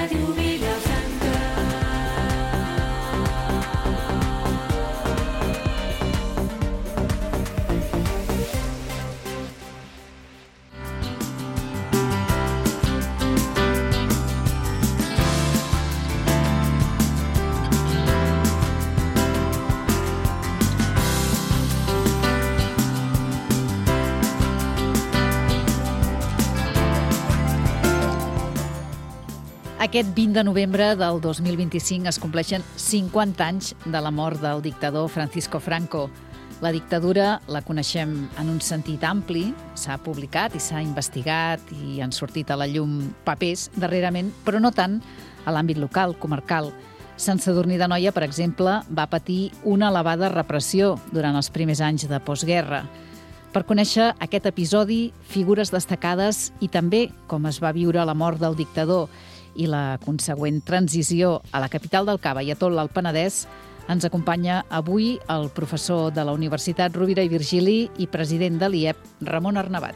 Ràdio Vilafranca. Aquest 20 de novembre del 2025 es compleixen 50 anys de la mort del dictador Francisco Franco. La dictadura la coneixem en un sentit ampli, s'ha publicat i s'ha investigat i han sortit a la llum papers darrerament, però no tant a l'àmbit local, comarcal. Sant Sadurní d'Anoia, per exemple, va patir una elevada repressió durant els primers anys de postguerra. Per conèixer aquest episodi, figures destacades i també com es va viure la mort del dictador i la consegüent transició a la capital del Cava i a tot l'Alt Penedès, ens acompanya avui el professor de la Universitat Rovira i Virgili i president de l'IEP, Ramon Arnabat.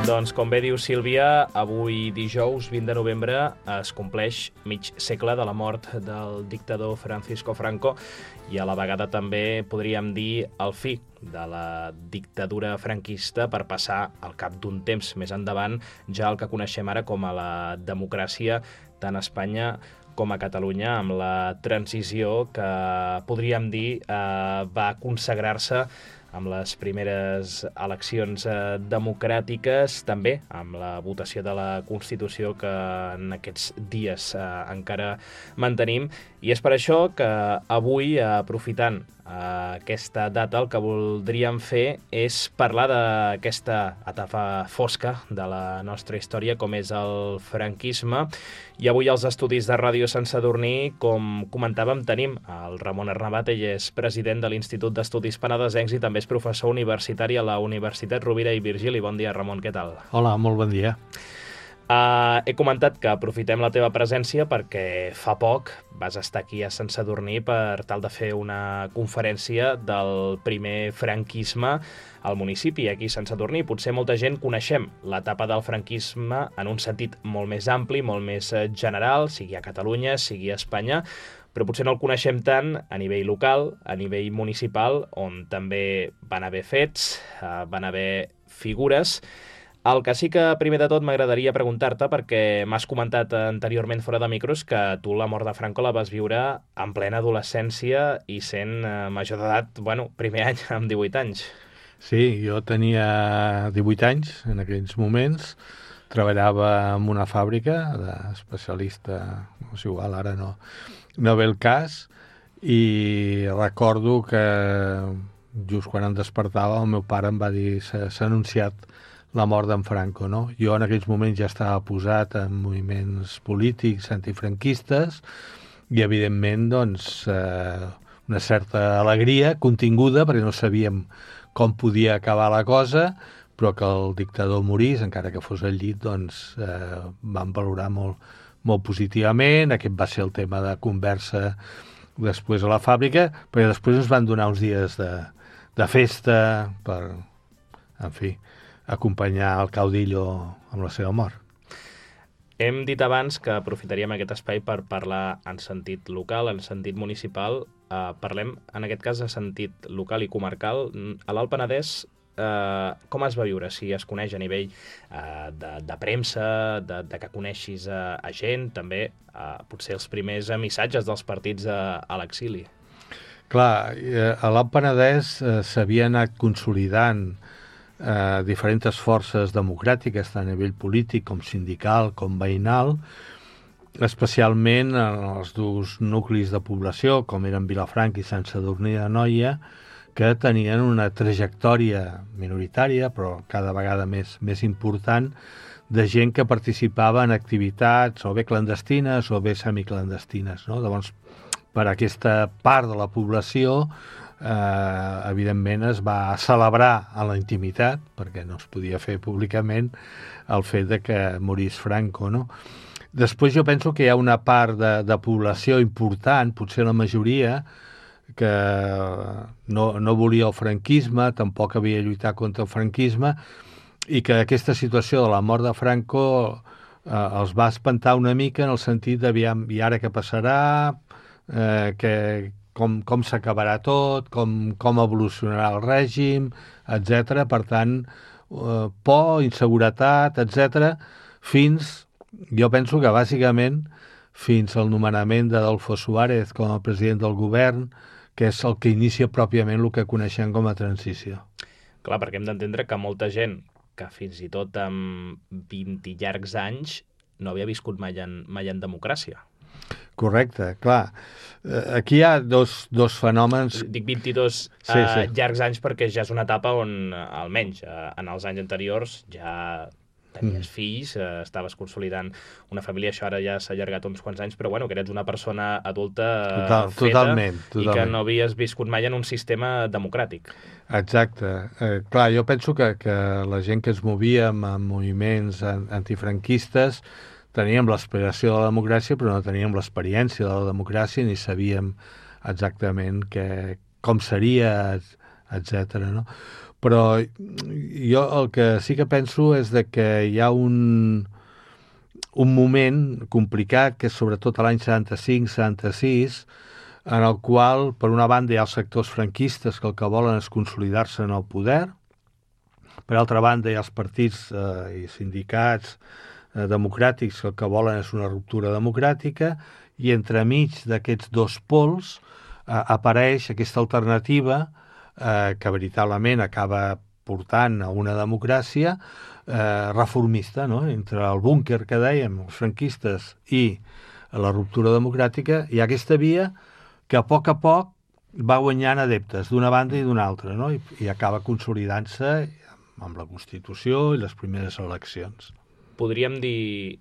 Doncs, com bé diu Sílvia, avui dijous 20 de novembre es compleix mig segle de la mort del dictador Francisco Franco i a la vegada també podríem dir el fi de la dictadura franquista per passar al cap d'un temps més endavant ja el que coneixem ara com a la democràcia tant a Espanya com a Catalunya, amb la transició que podríem dir va consagrar-se amb les primeres eleccions democràtiques, també amb la votació de la Constitució que en aquests dies encara mantenim. I és per això que avui, aprofitant aquesta data, el que voldríem fer és parlar d'aquesta etapa fosca de la nostra història, com és el franquisme. I avui als estudis de Ràdio Sant Sadurní, com comentàvem, tenim el Ramon Arnabat. Ell és president de l'Institut d'Estudis Penedesencs i també és professor universitari a la Universitat Rovira i Virgili. Bon dia, Ramon, què tal? Hola, molt bon dia. He comentat que aprofitem la teva presència perquè fa poc vas estar aquí a Sant Sadurní per tal de fer una conferència del primer franquisme al municipi, aquí a Sant Sadurní. Potser molta gent coneixem l'etapa del franquisme en un sentit molt més ampli, molt més general, sigui a Catalunya, sigui a Espanya, però potser no el coneixem tant a nivell local, a nivell municipal, on també van haver fets, van haver figures. El que sí que primer de tot m'agradaria preguntar-te, perquè m'has comentat anteriorment fora de micros que tu la mort de Franco la vas viure en plena adolescència i sent major d'edat, primer any amb 18 anys. Sí, jo tenia 18 anys en aquells moments, treballava en una fàbrica d'especialista, no és igual, ara no ve el cas, i recordo que just quan em despertava el meu pare em va dir s'ha anunciat la mort d'en Franco, no? Jo en aquells moments ja estava posat en moviments polítics antifranquistes i, evidentment, doncs, una certa alegria continguda, perquè no sabíem com podia acabar la cosa, però que el dictador morís, encara que fos al llit, doncs vam valorar molt, molt positivament. Aquest va ser el tema de conversa després a la fàbrica, perquè després ens van donar uns dies de festa per, en fi, acompanyar el caudillo amb la seva mort. Hem dit abans que aprofitaríem aquest espai per parlar en sentit local, en sentit municipal. Parlem, en aquest cas, de sentit local i comarcal. A l'Alt Penedès, com es va viure? Si es coneix a nivell de premsa, de que coneixis a gent, també potser els primers missatges dels partits a l'exili. Clar, a l'Alt Penedès s'havia anat consolidant diferents forces democràtiques, tant a nivell polític com sindical, com veïnal, especialment en els dos nuclis de població, com eren Vilafranca i Sant Sadurní d'Anoia, que tenien una trajectòria minoritària, però cada vegada més important, de gent que participava en activitats o bé clandestines o bé semiclandestines, no? Llavors, per aquesta part de la població, evidentment es va celebrar a la intimitat, perquè no es podia fer públicament, el fet de que morís Franco, no? Després jo penso que hi ha una part de població important, potser la majoria, que no volia el franquisme, tampoc havia lluitat contra el franquisme, i que aquesta situació de la mort de Franco els va espantar una mica en el sentit d'aviam, i ara què passarà, com s'acabarà tot, com evolucionarà el règim, etc. Per tant, por, inseguretat, etc. Jo penso que bàsicament fins al nomenament d'Adolfo Suárez com a president del govern, que és el que inicia pròpiament el que coneixem com a transició. Clar, perquè hem d'entendre que molta gent que fins i tot amb 20 llargs anys no havia viscut mai en democràcia. Correcte, clar. Aquí hi ha dos fenòmens... Dic 22 llargs anys perquè ja és una etapa on, almenys en els anys anteriors, ja tenies fills, estaves consolidant una família, això ara ja s'ha allargat uns quants anys, però bueno, que eres una persona adulta feta totalment. I que no havies viscut mai en un sistema democràtic. Exacte. Clar, jo penso que la gent que es movia amb moviments antifranquistes teníem l'aspiració de la democràcia, però no teníem l'experiència de la democràcia ni sabíem exactament com seria, etc. No? Però jo el que sí que penso és que hi ha un moment complicat, que és sobretot a l'any 75-76, en el qual, per una banda, hi ha els sectors franquistes que el que volen és consolidar-se en el poder, per altra banda, hi ha els partits i sindicats democràtics que el que volen és una ruptura democràtica, i entremig d'aquests dos pols apareix aquesta alternativa que veritablement acaba portant a una democràcia reformista, no? Entre el búnquer que dèiem, els franquistes, i la ruptura democràtica, hi ha aquesta via que a poc va guanyant adeptes d'una banda i d'una altra, no? I acaba consolidant-se amb la Constitució i les primeres eleccions. Podríem dir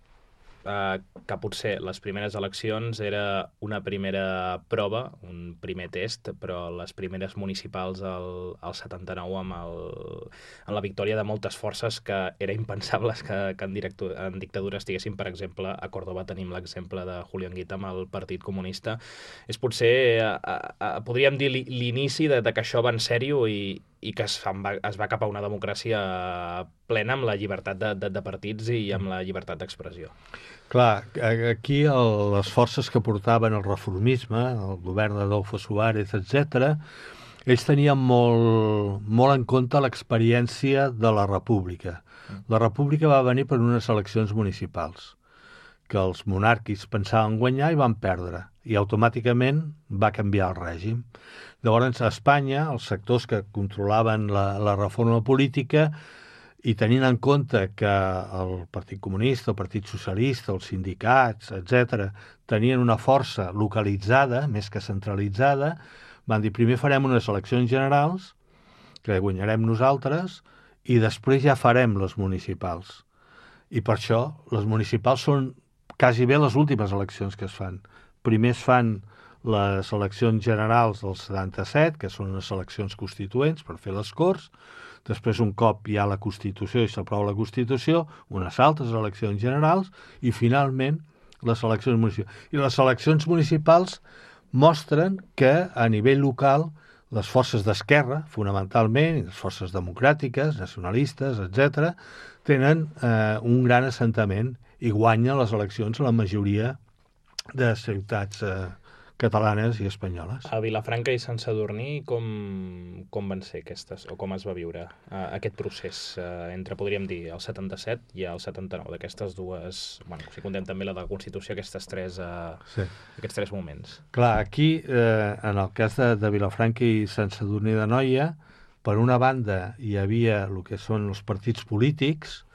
que potser les primeres eleccions era una primera prova, un primer test, però les primeres municipals al 79 amb la victòria de moltes forces que era impensables que en dictadura estiguessin. Per exemple, a Córdoba tenim l'exemple de Julio Anguita amb el Partit Comunista. És potser, podríem dir, l'inici de que això va en sèrio i que es va cap a una democràcia plena amb la llibertat de partits i amb la llibertat d'expressió. Clar, aquí les forces que portaven el reformisme, el govern d'Adolfo Suárez, etc., ells tenien molt en compte l'experiència de la república. La república va venir per unes eleccions municipals, que els monàrquics pensaven guanyar i van perdre, i automàticament va canviar el règim. Llavors, a Espanya, els sectors que controlaven la reforma política, i tenint en compte que el Partit Comunista, el Partit Socialista, els sindicats, etc., tenien una força localitzada, més que centralitzada, van dir, primer farem unes eleccions generals, que guanyarem nosaltres, i després ja farem les municipals. I per això les municipals són quasi bé les últimes eleccions que es fan. Primer es fan les eleccions generals del 77, que són unes eleccions constituents per fer les Corts. Després, un cop hi ha la Constitució i s'aprova la Constitució, unes altres eleccions generals i, finalment, les eleccions municipals. I les eleccions municipals mostren que, a nivell local, les forces d'esquerra, fonamentalment, les forces democràtiques, nacionalistes, etc., tenen un gran assentament i guanyen les eleccions a la majoria de ciutats catalanes i espanyoles. A Vilafranca i Sant Sadurní com van ser aquestes, o com es va viure aquest procés entre, podríem dir, el 77 i el 79, d'aquestes dues, bueno, si contem també la de la Constitució, aquests tres moments? Clar, aquí, en el cas de Vilafranca i Sant Sadurní d'Anoia, per una banda hi havia el que són els partits polítics,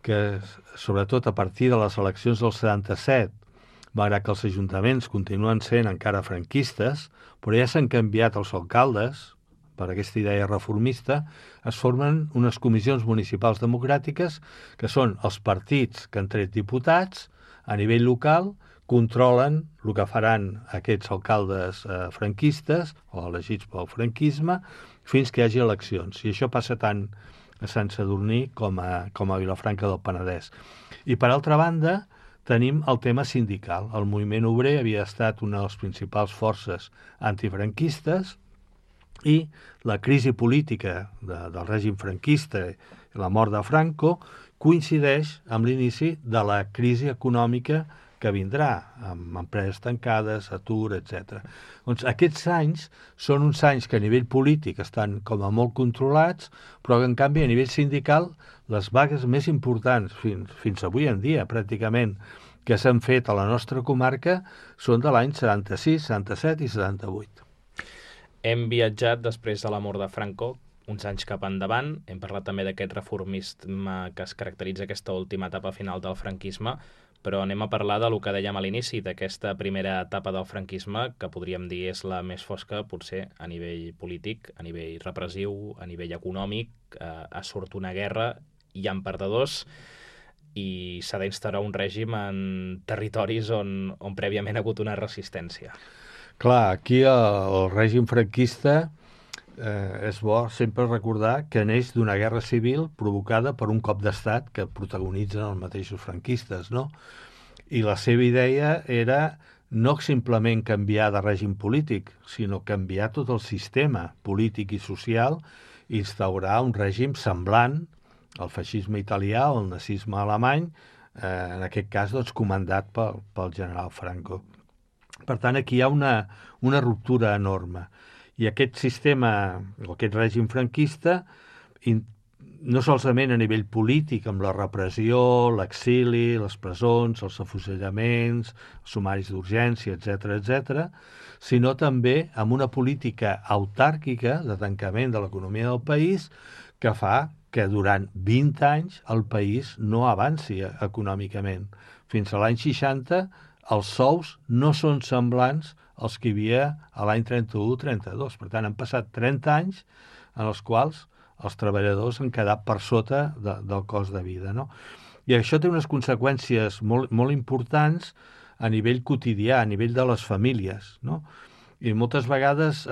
que sobretot a partir de les eleccions del 77, malgrat que els ajuntaments continuen sent encara franquistes, però ja s'han canviat els alcaldes, per aquesta idea reformista, es formen unes comissions municipals democràtiques que són els partits que han tret diputats a nivell local, controlen el que faran aquests alcaldes franquistes o elegits pel franquisme fins que hi hagi eleccions. I això passa tant a Sant Sadurní com a Vilafranca del Penedès. I per altra banda, tenim el tema sindical. El moviment obrer havia estat una de les principals forces antifranquistes i la crisi política del règim franquista i la mort de Franco coincideix amb l'inici de la crisi econòmica que vindrà, amb empreses tancades, atur, etc. Doncs aquests anys són uns anys que a nivell polític estan com a molt controlats, però que en canvi a nivell sindical les vagues més importants fins avui en dia, pràcticament, que s'han fet a la nostra comarca són de l'any 76, 77 i 78. Hem viatjat després de la mort de Franco, uns anys cap endavant. Hem parlat també d'aquest reformisme que es caracteritza aquesta última etapa final del franquisme, però anem a parlar del que dèiem a l'inici, d'aquesta primera etapa del franquisme, que podríem dir és la més fosca, potser, a nivell polític, a nivell repressiu, a nivell econòmic. Surt una guerra, hi ha perdedors, i s'ha d'instaurar un règim en territoris on prèviament ha hagut una resistència. Clar, aquí el règim franquista és bo sempre recordar que neix d'una guerra civil provocada per un cop d'estat que protagonitzen els mateixos franquistes, no? I la seva idea era no simplement canviar de règim polític, sinó canviar tot el sistema polític i social i instaurar un règim semblant al feixisme italià o al nazisme alemany, en aquest cas doncs, comandat pel general Franco. Per tant, aquí hi ha una ruptura enorme. I aquest sistema, o aquest règim franquista, no solament a nivell polític, amb la repressió, l'exili, les presons, els afusellaments, els sumaris d'urgència, etc., sinó també amb una política autàrquica de tancament de l'economia del país que fa que durant 20 anys el país no avanci econòmicament. Fins a l'any 60 els sous no són semblants als que hi havia a l'any 31-32. Per tant, han passat 30 anys en els quals els treballadors han quedat per sota del cost de vida, no? I això té unes conseqüències molt, molt importants a nivell quotidià, a nivell de les famílies, no? I moltes vegades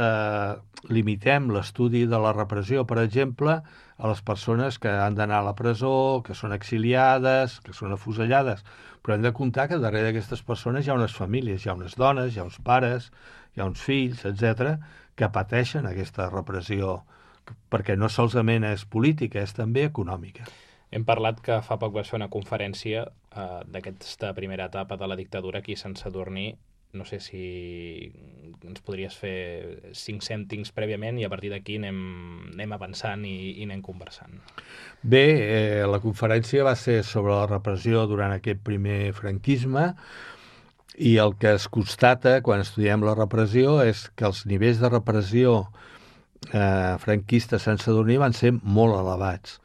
limitem l'estudi de la repressió, per exemple, a les persones que han d'anar a la presó, que són exiliades, que són afusellades. Però hem de comptar que darrere d'aquestes persones hi ha unes famílies, hi ha unes dones, hi ha uns pares, hi ha uns fills, etc., que pateixen aquesta repressió, perquè no solament és política, és també econòmica. Hem parlat que fa poc vas fer una conferència d'aquesta primera etapa de la dictadura aquí a Sant Sadurní. No sé si ens podries fer 5 cèntims prèviament i a partir d'aquí anem avançant i anem conversant. Bé, la conferència va ser sobre la repressió durant aquest primer franquisme i el que es constata quan estudiem la repressió és que els nivells de repressió franquista a Sant Sadurní van ser molt elevats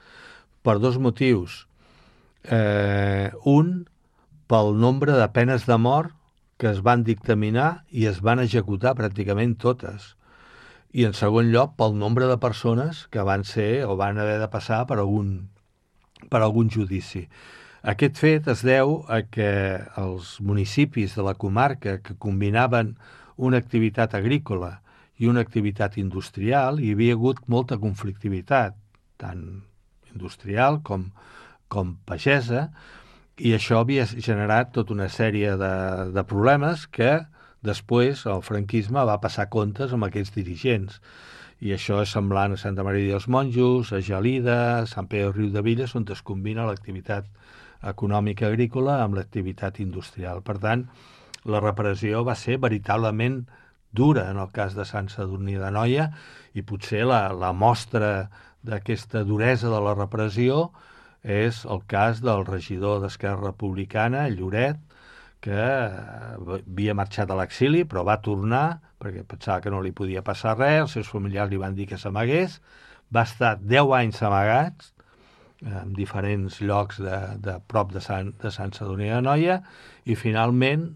per dos motius. Un, pel nombre de penes de mort que es van dictaminar i es van executar pràcticament totes. I en segon lloc, pel nombre de persones que van ser o van haver de passar per algun judici. Aquest fet es deu a que els municipis de la comarca que combinaven una activitat agrícola i una activitat industrial, hi havia hagut molta conflictivitat, tant industrial com pagesa, i això havia generat tota una sèrie de problemes que després el franquisme va passar comptes amb aquests dirigents. I això és semblant a Santa Maria dels Monjos, a Gelida, a Sant Pere del Riudebitlles, on es combina l'activitat econòmica agrícola amb l'activitat industrial. Per tant, la repressió va ser veritablement dura en el cas de Sant Sadurní d'Anoia i potser la mostra d'aquesta duresa de la repressió és el cas del regidor d'Esquerra Republicana, Lloret, que havia marxat a l'exili, però va tornar perquè pensava que no li podia passar res, els seus familiars li van dir que s'amagués, va estar 10 anys amagats en diferents llocs de prop de Sant Sadurní d'Anoia i finalment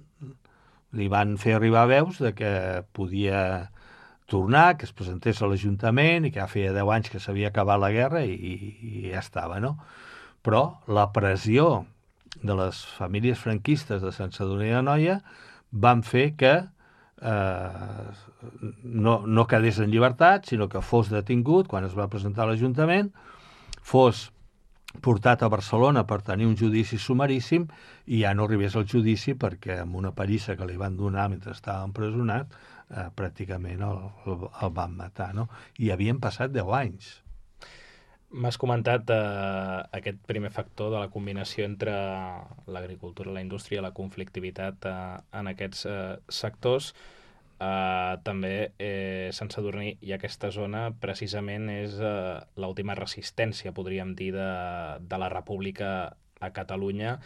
li van fer arribar veus de que podia tornar, que es presentés a l'Ajuntament i que ja feia 10 anys que s'havia acabat la guerra i ja estava, no? Però la pressió de les famílies franquistes de Sant Sadurní d'Anoia van fer que no quedés en llibertat, sinó que fos detingut quan es va presentar a l'Ajuntament, fos portat a Barcelona per tenir un judici sumaríssim i ja no arribés al judici perquè amb una pallissa que li van donar mentre estava empresonat pràcticament el van matar, no? I havien passat 10 anys. M'has comentat aquest primer factor de la combinació entre l'agricultura, la indústria, la conflictivitat en aquests sectors. També Sant Sadurní i aquesta zona precisament és l'última resistència, podríem dir, de la República a Catalunya.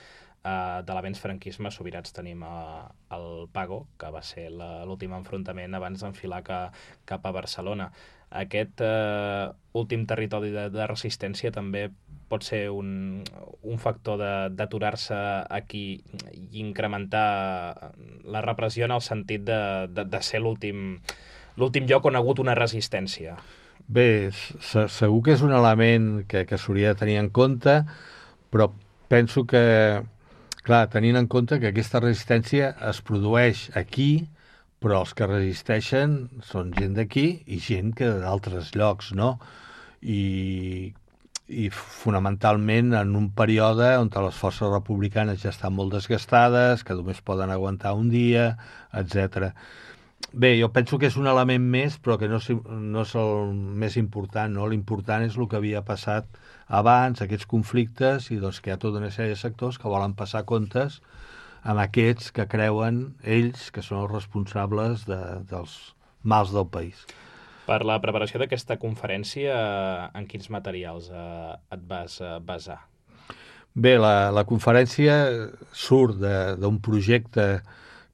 De l'avenç franquisme sobirats tenim el Pago, que va ser l'últim enfrontament abans d'enfilar cap a Barcelona. Aquest últim territori de resistència també pot ser un factor d'aturar-se aquí i incrementar la repressió en el sentit de ser l'últim lloc on ha hagut una resistència. Bé, segur que és un element que s'hauria de tenir en compte, però penso que, clar, tenint en compte que aquesta resistència es produeix aquí, però els que resisteixen són gent d'aquí i gent que d'altres llocs, no? I fonamentalment en un període on les forces republicanes ja estan molt desgastades, que només poden aguantar un dia, etc. Bé, jo penso que és un element més, però que no és el més important, no? L'important és el que havia passat abans, aquests conflictes, i doncs que hi ha tota una sèrie de sectors que volen passar comptes amb aquests que creuen ells que són els responsables dels mals del país. Per la preparació d'aquesta conferència, en quins materials et vas basar? Bé, la conferència surt d'un projecte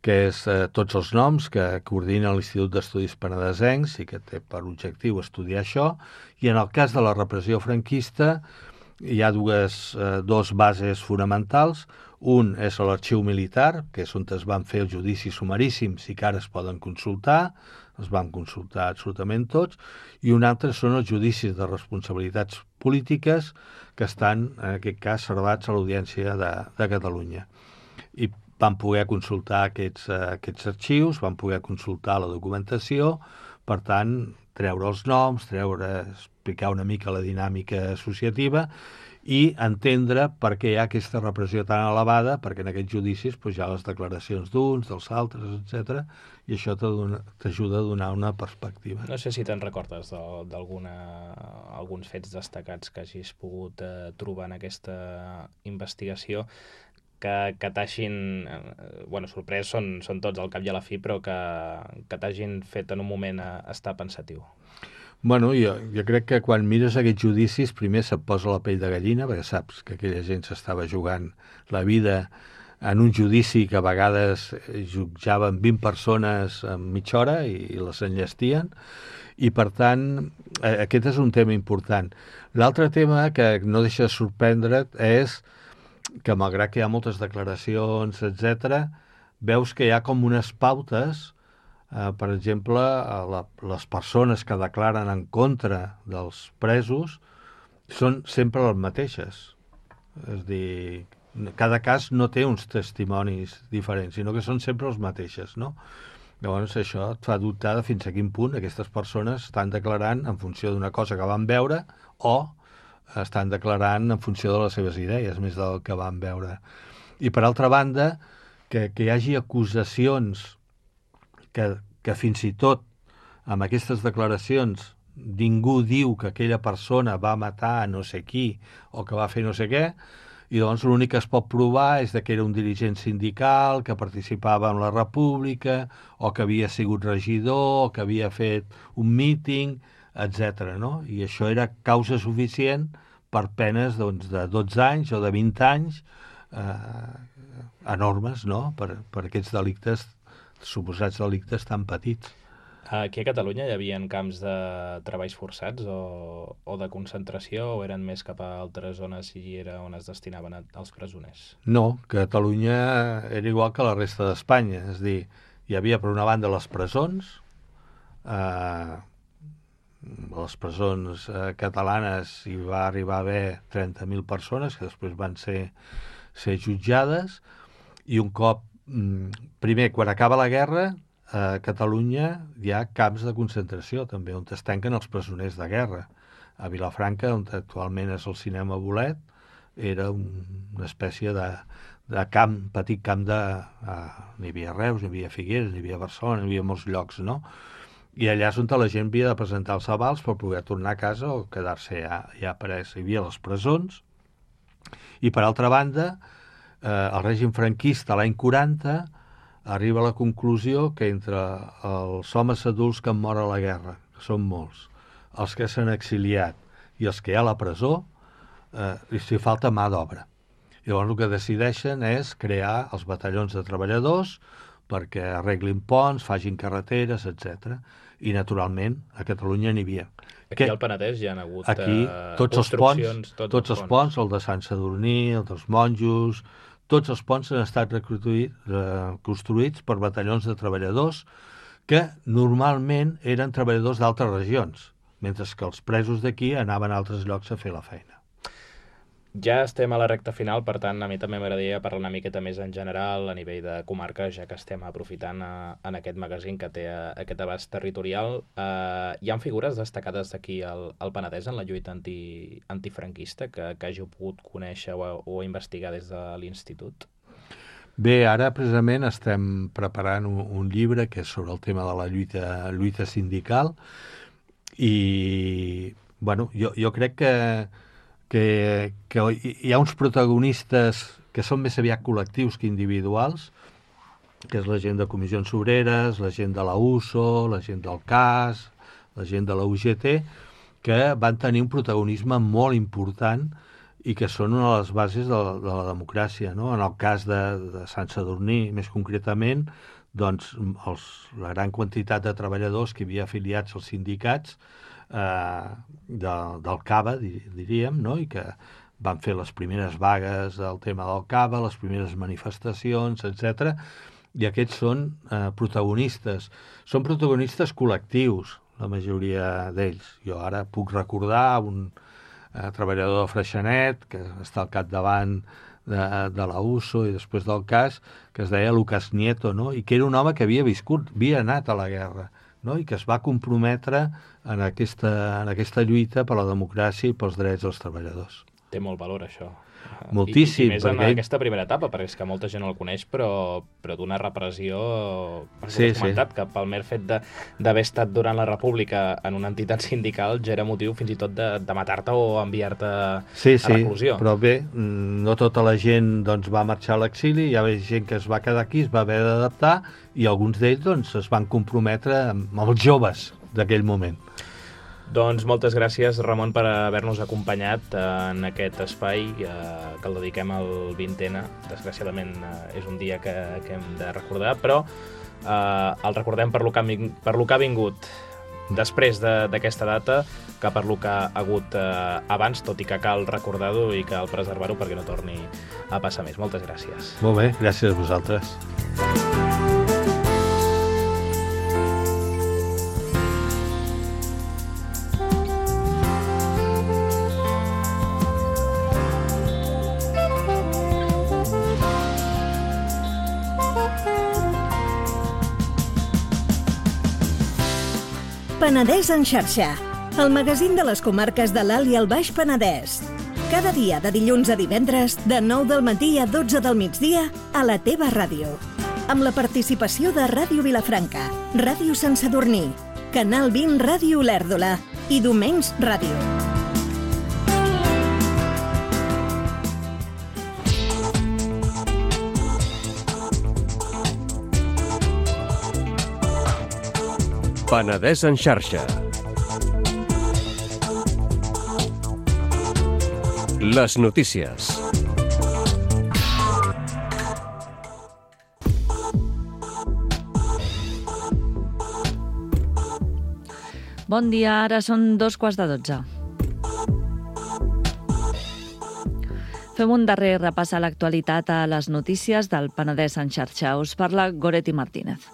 que és Tots els noms, que coordina l'Institut d'Estudis Penedesencs i que té per objectiu estudiar això, i en el cas de la repressió franquista hi ha dos bases fonamentals. Un és l'Arxiu Militar, que és on es van fer els judicis sumaríssims i que ara es poden consultar, es van consultar absolutament tots, i un altre són els judicis de responsabilitats polítiques que estan, en aquest cas, servats a l'Audiència de Catalunya. I van poder consultar aquests arxius, van poder consultar la documentació, per tant, treure els noms, explicar una mica la dinàmica associativa i entendre per què hi ha aquesta repressió tan elevada, perquè en aquests judicis hi ha les declaracions d'uns, dels altres, etc. I això t'ajuda a donar una perspectiva. No sé si te'n recordes d'alguns fets destacats que hagis pogut trobar en aquesta investigació que t'hagin... sorprès són tots al cap i a la fi, però que t'hagin fet en un moment estar pensatiu. Bueno, jo crec que quan mires aquests judicis primer se't posa la pell de gallina, perquè saps que aquella gent s'estava jugant la vida en un judici que a vegades jutjaven 20 persones en mitja hora i les enllestien, i per tant aquest és un tema important. L'altre tema que no deixa de sorprendre't és que malgrat que hi ha moltes declaracions, etc., veus que hi ha com unes pautes. Per exemple, les persones que declaren en contra dels presos són sempre les mateixes. És a dir, cada cas no té uns testimonis diferents, sinó que són sempre les mateixes, no? Llavors això et fa dubtar de fins a quin punt aquestes persones estan declarant en funció d'una cosa que van veure o estan declarant en funció de les seves idees, més del que van veure. I per altra banda, que hi hagi acusacions que fins i tot amb aquestes declaracions ningú diu que aquella persona va matar no sé qui o que va fer no sé què, i doncs l'únic que es pot provar és que era un dirigent sindical, que participava en la República, o que havia sigut regidor, o que havia fet un míting, etc. No? I això era causa suficient per penes de 12 anys o de 20 anys enormes, no? Per aquests delictes, suposats delictes tan petits. Aquí a Catalunya hi havia camps de treballs forçats o de concentració, o eren més cap a altres zones i era on es destinaven els presoners? No, Catalunya era igual que la resta d'Espanya. És a dir, hi havia per una banda les presons catalanes hi va arribar a haver 30.000 persones que després van ser jutjades, i un cop primer, quan acaba la guerra, a Catalunya hi ha camps de concentració també, on es tanquen els presoners de guerra. A Vilafranca, on actualment és el cinema Bolet, era una espècie de camp, petit camp n'hi havia Reus, n'hi havia Figueres, n'hi havia Barcelona, n'hi havia molts llocs, no? I allà és on la gent havia de presentar els avals per poder tornar a casa o quedar-se ja pres. Hi havia les presons. I, per altra banda, el règim franquista l'any 40 arriba a la conclusió que entre els homes adults que han mort a la guerra, que són molts, els que s'han exiliat i els que hi ha a la presó, s'hi falta mà d'obra. Llavors el que decideixen és crear els batallons de treballadors perquè arreglin ponts, facin carreteres, etc. I, naturalment, a Catalunya n'hi havia. Aquí al Penedès hi ha hagut tots els ponts, el de Sant Sadurní, el dels monjos, tots els ponts han estat construïts per batallons de treballadors que normalment eren treballadors d'altres regions, mentre que els presos d'aquí anaven a altres llocs a fer la feina. Ja estem a la recta final, per tant, a mi també m'agradaria parlar una miqueta més en general a nivell de comarca, ja que estem aprofitant en aquest magazín que té aquest abast territorial. Hi ha figures destacades d'aquí al Penedès en la lluita antifranquista que hàgiu pogut conèixer o investigar des de l'Institut? Bé, ara precisament estem preparant un llibre que és sobre el tema de la lluita sindical i, bueno, jo crec que hi ha uns protagonistes que són més aviat col·lectius que individuals, que és la gent de Comissions Obreres, la gent de la USO, la gent del CAS, la gent de la UGT, que van tenir un protagonisme molt important i que són una de les bases de la democràcia, no? En el cas de Sant Sadurní, més concretament, doncs la gran quantitat de treballadors que hi havia afiliats als sindicats del CABA, diríem, no? I que van fer les primeres vagues del tema del CABA, les primeres manifestacions, etc. I aquests són protagonistes. Són protagonistes col·lectius, la majoria d'ells. Jo ara puc recordar un treballador de Freixenet, que està al capdavant de la USO i després del CAS, que es deia Lucas Nieto, no? I que era un home que havia anat a la guerra, no? I que es va comprometre en aquesta lluita per la democràcia i pels drets dels treballadors. Té molt valor, això. Moltíssim. I més en aquesta primera etapa, perquè és que molta gent no el coneix, però d'una repressió, perquè has comentat, que pel mer fet d'haver estat durant la República en una entitat sindical ja era motiu fins i tot de matar-te o enviar-te a reclusió. Sí, però bé, no tota la gent va marxar a l'exili, hi havia gent que es va quedar aquí, es va haver d'adaptar, i alguns d'ells es van comprometre amb els joves d'aquell moment. Doncs moltes gràcies, Ramon, per haver-nos acompanyat en aquest espai que el dediquem al 20ena. Desgraciadament és un dia que hem de recordar, però el recordem per lo que ha vingut després d'aquesta data, que per lo que ha hagut abans, tot i que cal recordar-ho i cal preservar-ho perquè no torni a passar més. Moltes gràcies. Molt bé, gràcies a vosaltres. Penedès en xarxa, el magazín de les comarques de l'Alt i el Baix Penedès. Cada dia de dilluns a divendres, de 9 del matí a 12 del migdia, a la teva ràdio. Amb la participació de Ràdio Vilafranca, Ràdio Sant Sadurní, Canal 20 Ràdio Olèrdola i Domenys Ràdio. Penedès en xarxa. Les notícies. Bon dia, ara són 2:15. Fem un darrer repàs a l'actualitat a les notícies del Penedès en xarxa. Us parla Goretti Martínez.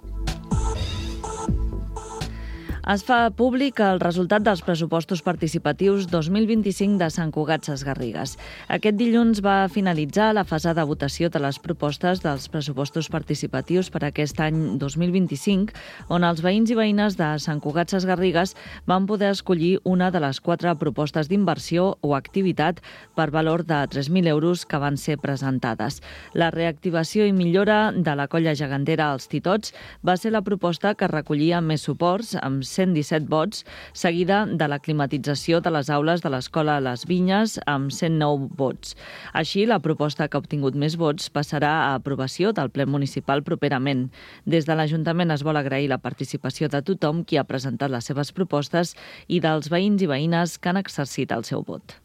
Es fa públic el resultat dels pressupostos participatius 2025 de Sant Cugat Sesgarrigues. Aquest dilluns va finalitzar la fase de votació de les propostes dels pressupostos participatius per aquest any 2025, on els veïns i veïnes de Sant Cugat Sesgarrigues van poder escollir una de les 4 propostes d'inversió o activitat per valor de 3.000 euros que van ser presentades. La reactivació i millora de la colla gegantera als Titots va ser la proposta que recollia més suports, amb 117 vots, seguida de la climatització de les aules de l'Escola Les Vinyes, amb 109 vots. Així, la proposta que ha obtingut més vots passarà a aprovació del ple municipal properament. Des de l'Ajuntament es vol agrair la participació de tothom qui ha presentat les seves propostes i dels veïns i veïnes que han exercit el seu vot.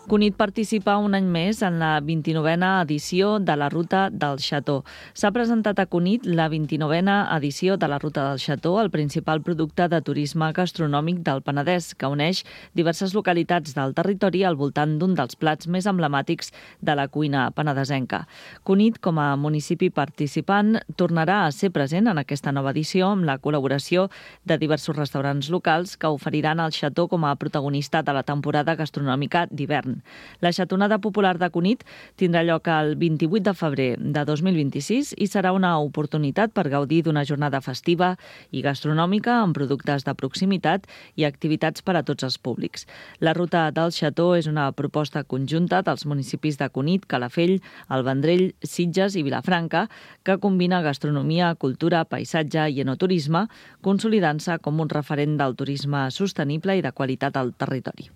Cunit participa un any més en la 29a edició de la Ruta del Xató. S'ha presentat a Cunit la 29a edició de la Ruta del Xató, el principal producte de turisme gastronòmic del Penedès, que uneix diverses localitats del territori al voltant d'un dels plats més emblemàtics de la cuina penedesenca. Cunit, com a municipi participant, tornarà a ser present en aquesta nova edició amb la col·laboració de diversos restaurants locals que oferiran el Xató com a protagonista de la temporada gastronòmica d'hivern. La xatonada popular de Cunit tindrà lloc el 28 de febrer de 2026 i serà una oportunitat per gaudir d'una jornada festiva i gastronòmica amb productes de proximitat i activitats per a tots els públics. La Ruta del Xató és una proposta conjunta dels municipis de Cunit, Calafell, El Vendrell, Sitges i Vilafranca, que combina gastronomia, cultura, paisatge i enoturisme, consolidant-se com un referent del turisme sostenible i de qualitat al territori.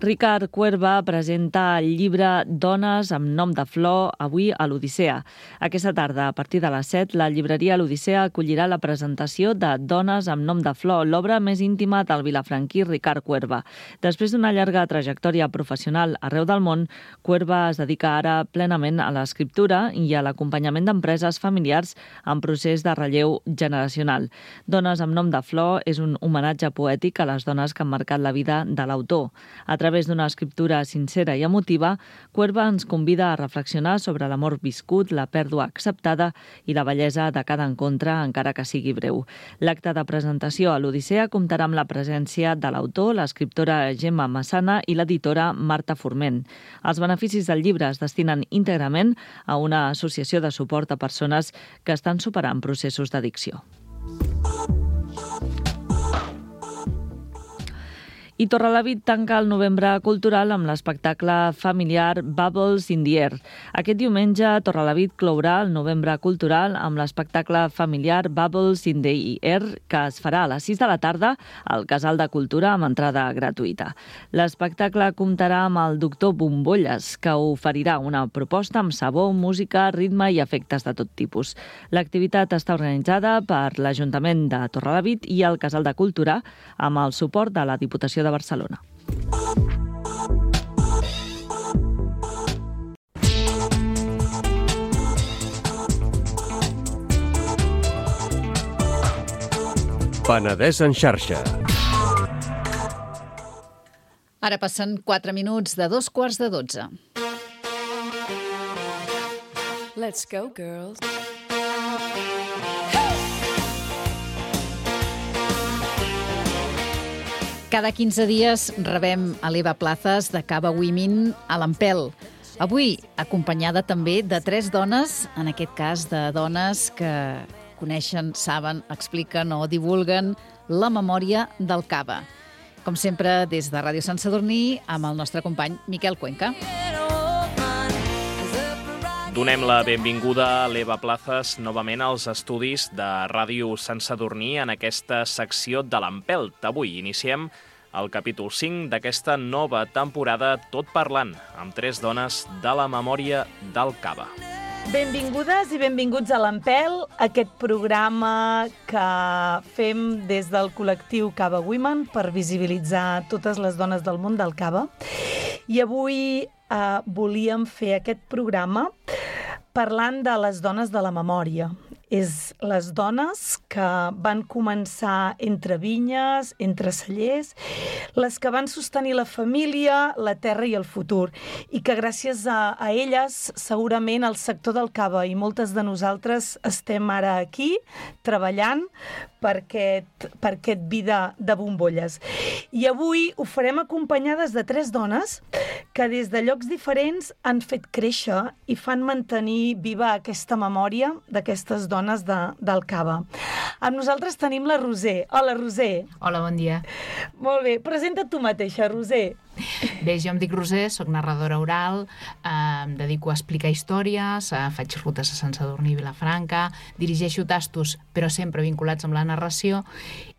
Ricard Cuerva presenta el llibre Dones amb nom de flor avui a l'Odissea. Aquesta tarda, a partir de les 7, la llibreria L'Odissea acollirà la presentació de Dones amb nom de flor, l'obra més íntima del vilafranquí Ricard Cuerva. Després d'una llarga trajectòria professional arreu del món, Cuerva es dedica ara plenament a l'escriptura i a l'acompanyament d'empreses familiars en procés de relleu generacional. Dones amb nom de flor és un homenatge poètic a les dones que han marcat la vida de l'autor. A través d'una escriptura sincera i emotiva, Cuerva ens convida a reflexionar sobre l'amor viscut, la pèrdua acceptada i la bellesa de cada encontre, encara que sigui breu. L'acte de presentació a l'Odissea comptarà amb la presència de l'autor, l'escriptora Gemma Massana i l'editora Marta Forment. Els beneficis del llibre es destinen íntegrament a una associació de suport a persones que estan superant processos d'addicció. I Torrelavit tanca el novembre cultural amb l'espectacle familiar Bubbles in the Air. Aquest diumenge, Torrelavit clourà el novembre cultural amb l'espectacle familiar Bubbles in the Air, que es farà a les 6 de la tarda al Casal de Cultura amb entrada gratuïta. L'espectacle comptarà amb el doctor Bombolles, que oferirà una proposta amb sabor, música, ritme i efectes de tot tipus. L'activitat està organitzada per l'Ajuntament de Torrelavit i el Casal de Cultura amb el suport de la Diputació de Barcelona. Penedès en xarxa. Ara passen 4 minuts de 2:15. Let's go, girls. Cada 15 dies rebem a l'Eva Plazas de Cava Women a l'Empel. Avui, acompanyada també de 3 dones, en aquest cas de dones que coneixen, saben, expliquen o divulguen la memòria del cava. Com sempre, des de Ràdio Sant Sadurní, amb el nostre company Miquel Cuenca. Donem la benvinguda a l'Eva Plazas novament als estudis de Ràdio Sant Sadurní en aquesta secció de l'Empelt. Avui iniciem el capítol 5 d'aquesta nova temporada Tot parlant, amb 3 dones de la memòria del cava. Benvingudes i benvinguts a l'Empel, aquest programa que fem des del col·lectiu Cava Women per visibilitzar totes les dones del món del cava. I avui volíem fer aquest programa parlant de les dones de la memòria. És les dones que van començar entre vinyes, entre cellers, les que van sostenir la família, la terra i el futur, i que gràcies a elles segurament el sector del cava i moltes de nosaltres estem ara aquí treballant per aquest vida de bombolles. I avui ho farem acompanyades de 3 dones que des de llocs diferents han fet créixer i fan mantenir viva aquesta memòria d'aquestes dones del cava. Amb nosaltres tenim la Roser. Hola, Roser. Hola, bon dia. Molt bé. Presenta't tu mateixa, Roser. Bé, jo em dic Roser, soc narradora oral, em dedico a explicar històries, faig rutes a Sant Sadurní i Vilafranca, dirigeixo tastos, però sempre vinculats amb la narració,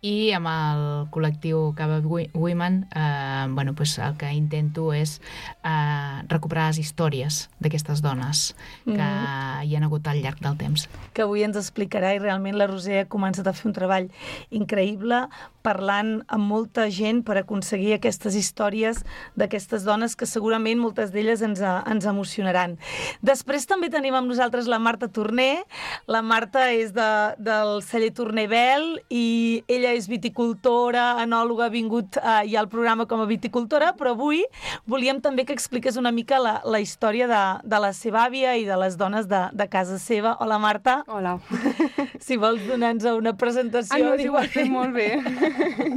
i amb el col·lectiu Cava Women el que intento és recuperar les històries d'aquestes dones que hi han hagut al llarg del temps. Que avui ens explicarà, i realment la Roser ha començat a fer un treball increïble parlant amb molta gent per aconseguir aquestes històries d'aquestes dones que segurament moltes d'elles ens emocionaran. Després també tenim amb nosaltres la Marta Torner. La Marta és del celler Torner Bel i ella és viticultora, enòloga, ha vingut ja al programa com a viticultora, però avui volíem també que expliqués una mica la història de la seva àvia i de les dones de casa seva. Hola, Marta. Hola. Si vols donar-nos una presentació... No, ho has fet molt bé.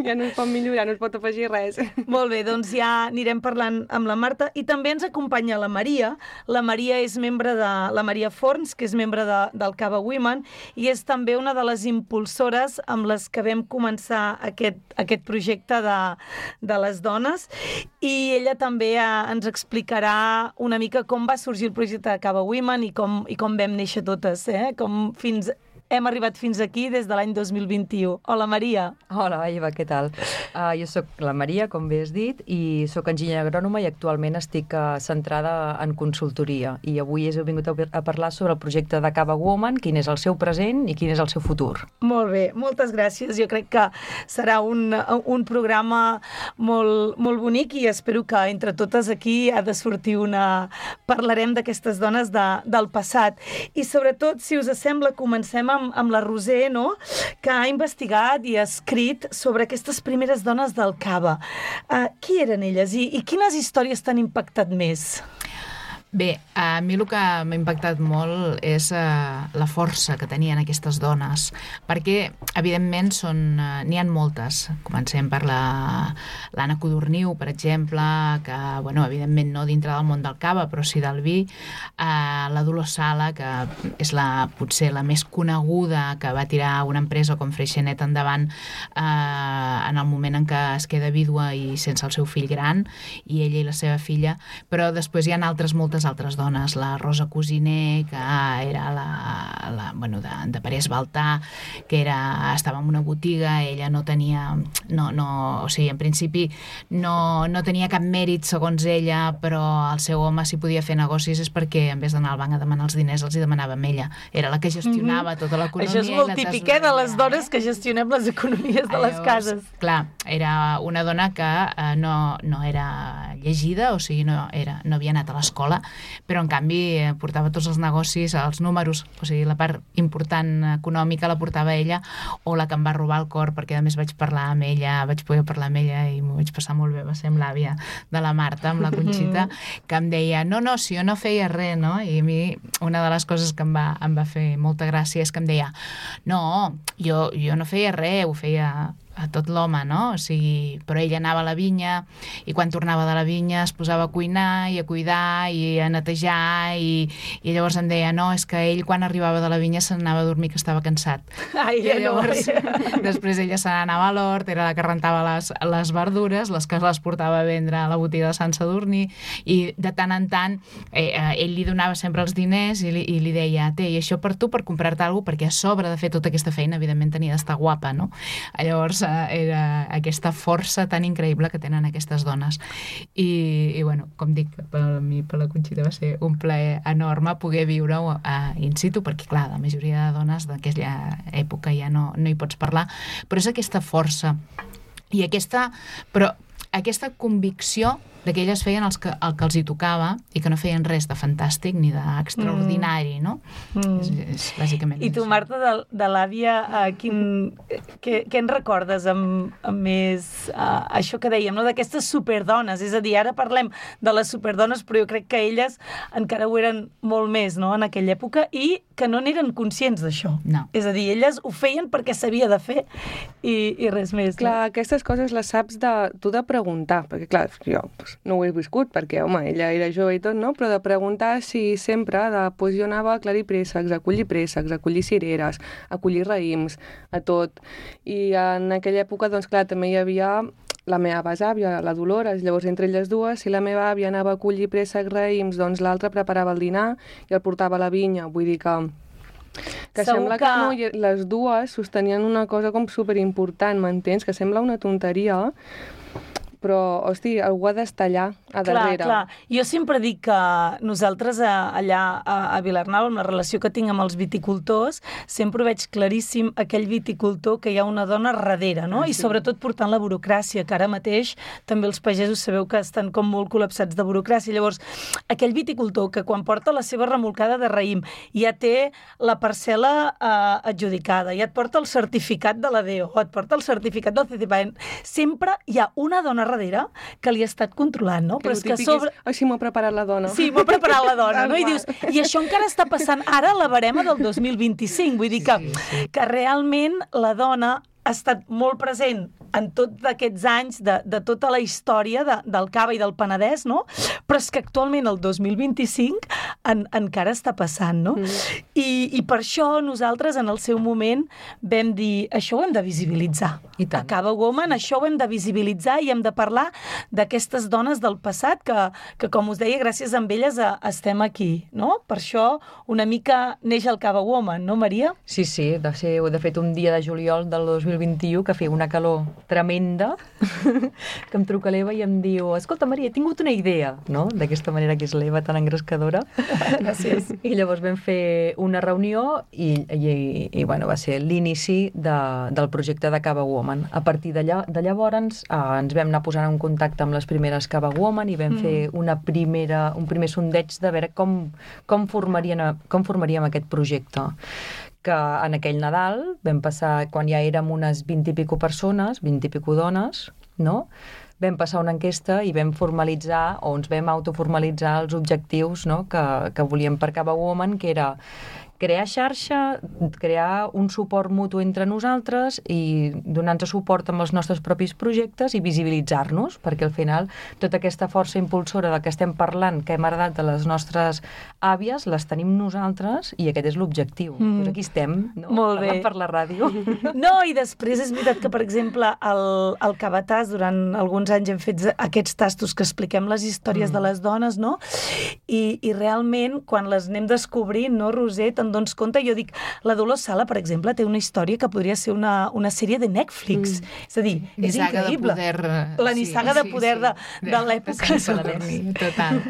Ja no es pot millorar, no es pot afegir res. Molt bé, doncs ja anirem parlant amb la Marta, i també ens acompanya la Maria. La Maria és membre de la Maria Forns, que és membre del Cava Women, i és també una de les impulsores amb les que vam començar aquest projecte de les dones, i ella també ens explicarà una mica com va sorgir el projecte de Cava Women i com vam néixer totes, com hem arribat fins aquí des de l'any 2021. Hola, Maria. Hola, Eva, què tal? Jo sóc la Maria, com bé has dit, i sóc enginyera agrònoma i actualment estic centrada en consultoria. I avui he vingut a parlar sobre el projecte de Cava Women, quin és el seu present i quin és el seu futur. Molt bé, moltes gràcies. Jo crec que serà un programa molt, molt bonic i espero que entre totes aquí ha de sortir Parlarem d'aquestes dones del passat. I sobretot, si us sembla, comencem amb la Roser, no?, que ha investigat i ha escrit sobre aquestes primeres dones del cava. Qui eren elles i quines històries t'han impactat més? Bé, a mi el que m'ha impactat molt és la força que tenien aquestes dones, perquè, evidentment, n'hi ha moltes. Comencem per l'Anna Codorniu, per exemple, que, evidentment, no dintre del món del cava, però sí del vi. La Dolors Sala, que és potser la més coneguda, que va tirar una empresa com Freixenet endavant en el moment en què es queda vídua i sense el seu fill gran, i ella i la seva filla. Però després hi ha moltes altres dones, la Rosa Cosiner, que era de Parés Baltà, que estava en una botiga, ella no tenia, o sigui, en principi no tenia cap mèrit segons ella, però el seu home, si podia fer negocis, és perquè en vez d'anar al banc a demanar els diners, els hi demanava amb ella. Era la que gestionava tota l'economia. Això és molt típic, de les dones que gestionem les economies de les cases. Clar, era una dona que no era llegida, o sigui, no havia anat a l'escola, però en canvi portava tots els negocis, els números, o sigui, la part important econòmica la portava ella, o la que em va robar el cor, perquè a més vaig poder parlar amb ella i m'ho vaig passar molt bé, va ser amb l'àvia de la Marta, amb la Conxita, que em deia, no, si jo no feia res, no? I a mi una de les coses que em va fer molta gràcia és que em deia, no, jo no feia res, ho feia a tot l'home, no? O sigui, però ella anava a la vinya i quan tornava de la vinya es posava a cuinar i a cuidar i a netejar i llavors em deia, no, és que ell quan arribava de la vinya se n'anava a dormir que estava cansat. I llavors després ella se n'anava a l'hort, era la que rentava les verdures, les que les portava a vendre a la botiga de Sant Sadurní, i de tant en tant ell li donava sempre els diners i li deia, i això per tu, per comprar-te alguna cosa, perquè a sobre de fer tota aquesta feina evidentment tenia d'estar guapa, no? Llavors era aquesta força tan increïble que tenen aquestes dones. I bueno, com dic, per mi, per la Conxita, va ser un plaer enorme poder viure-ho in situ, perquè, clar, la majoria de dones d'aquella època ja no hi pots parlar, però és aquesta força i aquesta convicció que elles feien el que els hi tocava i que no feien res de fantàstic ni d'extraordinari, no? És bàsicament I tu, Marta, de l'àvia, què en recordes amb més això que dèiem, no? D'aquestes superdones? És a dir, ara parlem de les superdones, però jo crec que elles encara ho eren molt més, no?, en aquella època, i que no n'eren conscients d'això. No. És a dir, elles ho feien perquè s'havia de fer i res més. Clar, aquestes coses les saps tu de preguntar, perquè clar, jo no ho he viscut, perquè, home, ella era jove i tot, no? Però de preguntar si sempre, jo anava a aclarir préssecs, a collir cireres, a collir raïms, a tot. I en aquella època, doncs clar, també hi havia la meva besàvia, la Dolores, llavors entre elles dues, si la meva àvia anava a collir préssecs, raïms, doncs l'altra preparava el dinar i el portava a la vinya, vull dir que sembla que no, les dues sostenien una cosa com superimportant, m'entens? Que sembla una tonteria, però, hosti, algú ha d'estar allà, a darrere. Clar. Jo sempre dic que nosaltres allà a Vilarnau, amb la relació que tinc amb els viticultors, sempre veig claríssim aquell viticultor que hi ha una dona darrere, no? I sobretot portant la burocràcia, que ara mateix també els pagesos sabeu que estan com molt col·lapsats de burocràcia. Llavors, aquell viticultor que quan porta la seva remolcada de raïm ja té la parcel·la adjudicada, ja et porta el certificat de la DEO, et porta el certificat del CCPAEN, sempre hi ha una dona darrere que li ha estat controlant, no? Però és que sobre... sí, m'ho ha preparat la dona. Sí, m'ho ha preparat la dona, no? I dius, i això encara està passant ara a la barema del 2025, vull dir que realment la dona ha estat molt present en tots aquests anys de tota la història del Cava i del Penedès, no? Però és que actualment, el 2025, encara està passant, no? I per això nosaltres, en el seu moment, vam dir, això ho hem de visibilitzar. A Cava Woman, això ho hem de visibilitzar i hem de parlar d'aquestes dones del passat que, com us deia, gràcies a elles estem aquí, no? Per això una mica neix el Cava Woman, no, Maria? Sí, de fet, un dia de juliol del 2021 que feia una calor tremenda, que em truca l'Eva i em diu, escolta, Maria, he tingut una idea, no? D'aquesta manera que és l'Eva tan engrescadora. Gràcies. I llavors vam fer una reunió i bueno, va ser l'inici del projecte de Cava Woman. A partir de llavors ens vam anar posant en contacte amb les primeres Cava Woman i vam fer un primer sondeig de veure com formaríem aquest projecte. Que en aquell Nadal vam passar, quan ja érem unes 20 i pico persones, 20 i pico dones, no? Vam passar una enquesta i vam formalitzar, o ens vam autoformalitzar els objectius, no? que volíem per Cava Woman, que era crear xarxa, crear un suport mutu entre nosaltres i donar-nos suport amb els nostres propis projectes i visibilitzar-nos, perquè al final tota aquesta força impulsora de què estem parlant, que hem heredat de les nostres àvies, les tenim nosaltres i aquest és l'objectiu. Doncs aquí estem, no? Molt bé. Parlant per la ràdio. No, i després és veritat que, per exemple, al Cavatàs, durant alguns anys hem fet aquests tastos que expliquem les històries de les dones, no? I realment, quan les anem descobrint, no, Roser, te'n dones compte, jo dic, la Dolors Sala, per exemple, té una història que podria ser una sèrie de Netflix. És a dir, és increïble. La nissaga de poder de l'època. Total.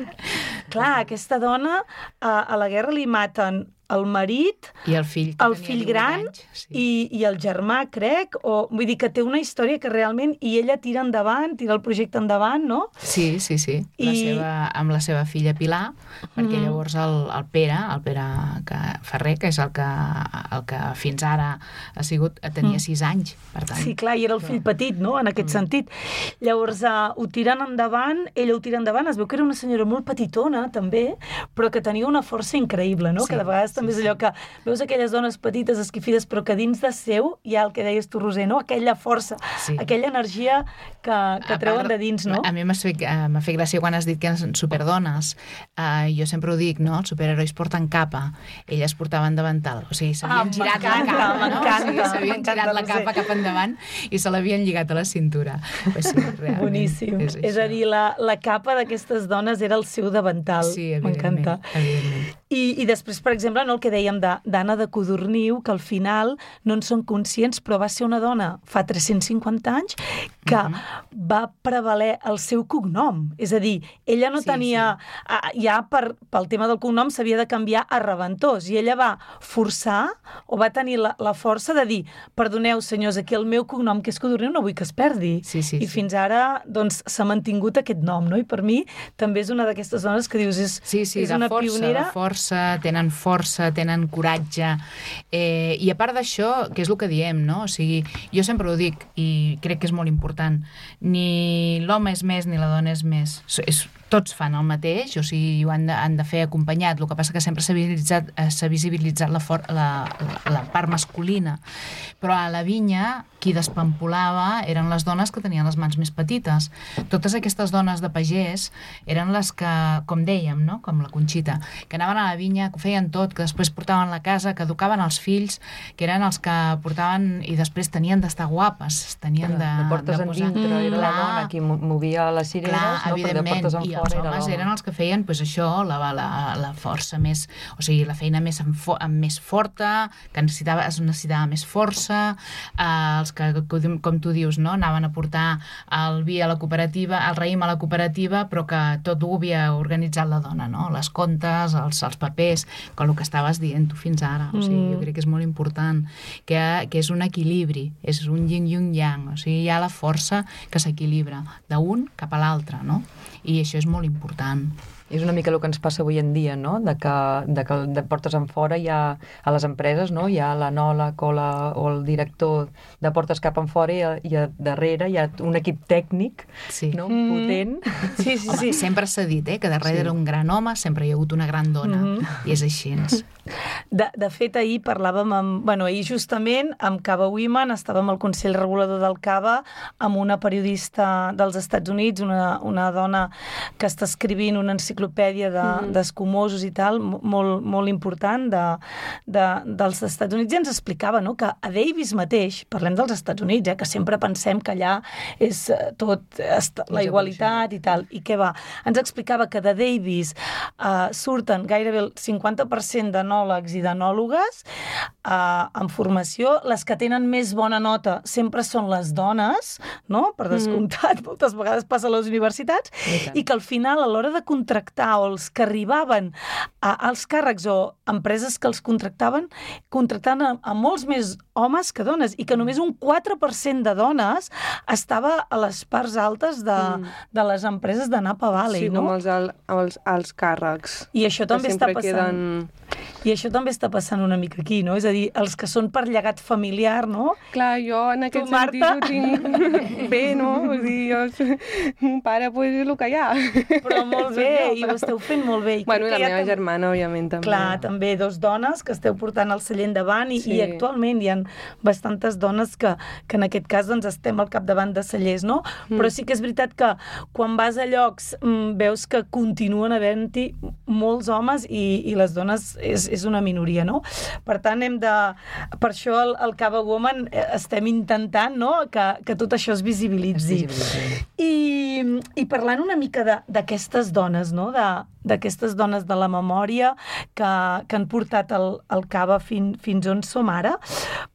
Clar, aquesta dona, a la guerra li maten el marit, i el fill gran i el germà, crec, vull dir que té una història que realment, i ella tira el projecte endavant, no? Sí. Amb la seva filla Pilar, perquè llavors el Pere Ferrer, que és el que fins ara tenia 6 anys, per tant. Sí, clar, i era el fill petit, no?, en aquest sentit. Llavors, ho tiren endavant, ella ho tira endavant, es veu que era una senyora molt petitona, també, però que tenia una força increïble, no?, que de vegades també és allò que veus aquelles dones petites, esquifides, però que dins de seu hi ha el que deies tu, Roser, no? Aquella força, aquella energia que treuen de dins, no? A mi m'ha fet gràcia quan has dit que eren superdones. Jo sempre ho dic, no? Els superherois porten capa, elles portaven davantal. O sigui, s'havien girat la capa, no? S'havien girat la capa cap endavant i se l'havien lligat a la cintura. Sí, realment. Boníssim. És a dir, la capa d'aquestes dones era el seu davantal. Sí, evidentment. M'encanta. I després, per exemple, no, el que dèiem d'Anna de Codorniu, que al final no en són conscients, però va ser una dona fa 350 anys que va prevaler el seu cognom. És a dir, ella no tenia... Ja pel tema del cognom s'havia de canviar a Reventós, i ella va forçar o va tenir la força de dir, perdoneu, senyors, aquí el meu cognom, que és Codorniu, no vull que es perdi. I fins ara doncs, s'ha mantingut aquest nom, no? I per mi també és una d'aquestes dones que dius és una pionera. Tenen força, tenen coratge. I a part d'això, que és el que diem, no? O sigui, jo sempre ho dic i crec que és molt important. Ni l'home és més ni la dona és més. Tots fan el mateix, o sigui, ho han de fer acompanyat. El que passa que sempre s'ha visibilitzat la part masculina. Però a la vinya, qui despampolava eren les dones que tenien les mans més petites. Totes aquestes dones de pagès eren les que, com dèiem, no? Com la Conxita, que anaven a la vinya, que feien tot, que després portaven la casa, que educaven els fills, que eren els que portaven i després tenien d'estar guapes, tenien de portes endintre, era la dona qui movia les cireres, no? Però de portes enfora els homes eren els que feien això, la força més, o sigui, la feina més forta, que es necessitava més força, els que, com tu dius, no? Anaven a portar el vi a la cooperativa, el raïm a la cooperativa, però que tot ho havia organitzat la dona, no? Les comptes, els papers, com el que estaves dient tu fins ara. O sigui, jo crec que és molt important, que és un equilibri, és un yin i un yang, o sigui, hi ha la força que s'equilibra d'un cap a l'altre, no? I això és molt important. És una mica el que ens passa avui en dia, no? De que de portes enfora hi ha, a les empreses, no? Hi ha l'anòleg o el director de portes cap enfora i a darrere hi ha un equip tècnic, no? Potent. Sí. Sempre s'ha dit, que darrere un gran home sempre hi ha hagut una gran dona, i és així. De fet, ahir parlàvem ahir justament amb Cava Women, estàvem al Consell Regulador del Cava amb una periodista dels Estats Units, una dona que està escrivint una enciclopèdia d'escumosos i tal, molt important dels Estats Units, i ens explicava, no?, que a Davis mateix, parlem dels Estats Units, que sempre pensem que allà és tot la igualitat i tal, i què va? Ens explicava que de Davis surten gairebé el 50% d'anòlegs i d'anòlogues en formació. Les que tenen més bona nota sempre són les dones, no?, per descomptat, moltes vegades passa a les universitats, i que al final, a l'hora de contractar, o els que arribaven als càrrecs o empreses que els contractaven a molts més homes que dones, i que només un 4% de dones estava a les parts altes de les empreses de Napa Valley, no? Sí, com els càrrecs. I això també està passant. I això també està passant una mica aquí, no? És a dir, els que són per llegat familiar, no? Clar, jo en aquest sentit ho tinc bé, no? Vull dir, mon pare, pues, és el que hi ha. Però molt bé, i ho esteu fent molt bé. Bueno, i la meva germana, òbviament, també. Clar, també, 2 dones que esteu portant el celler endavant, i actualment hi ha bastantes dones que en aquest cas doncs, estem al capdavant de cellers, no? Però sí que és veritat que quan vas a llocs veus que continuen havent-hi molts homes i les dones és una minoria, no? Per tant, per això el Cava Woman estem intentant, no?, que tot això es visibilitzi. I parlant una mica d'aquestes dones, no?, d'aquestes dones de la memòria que han portat el Cava fins on som ara,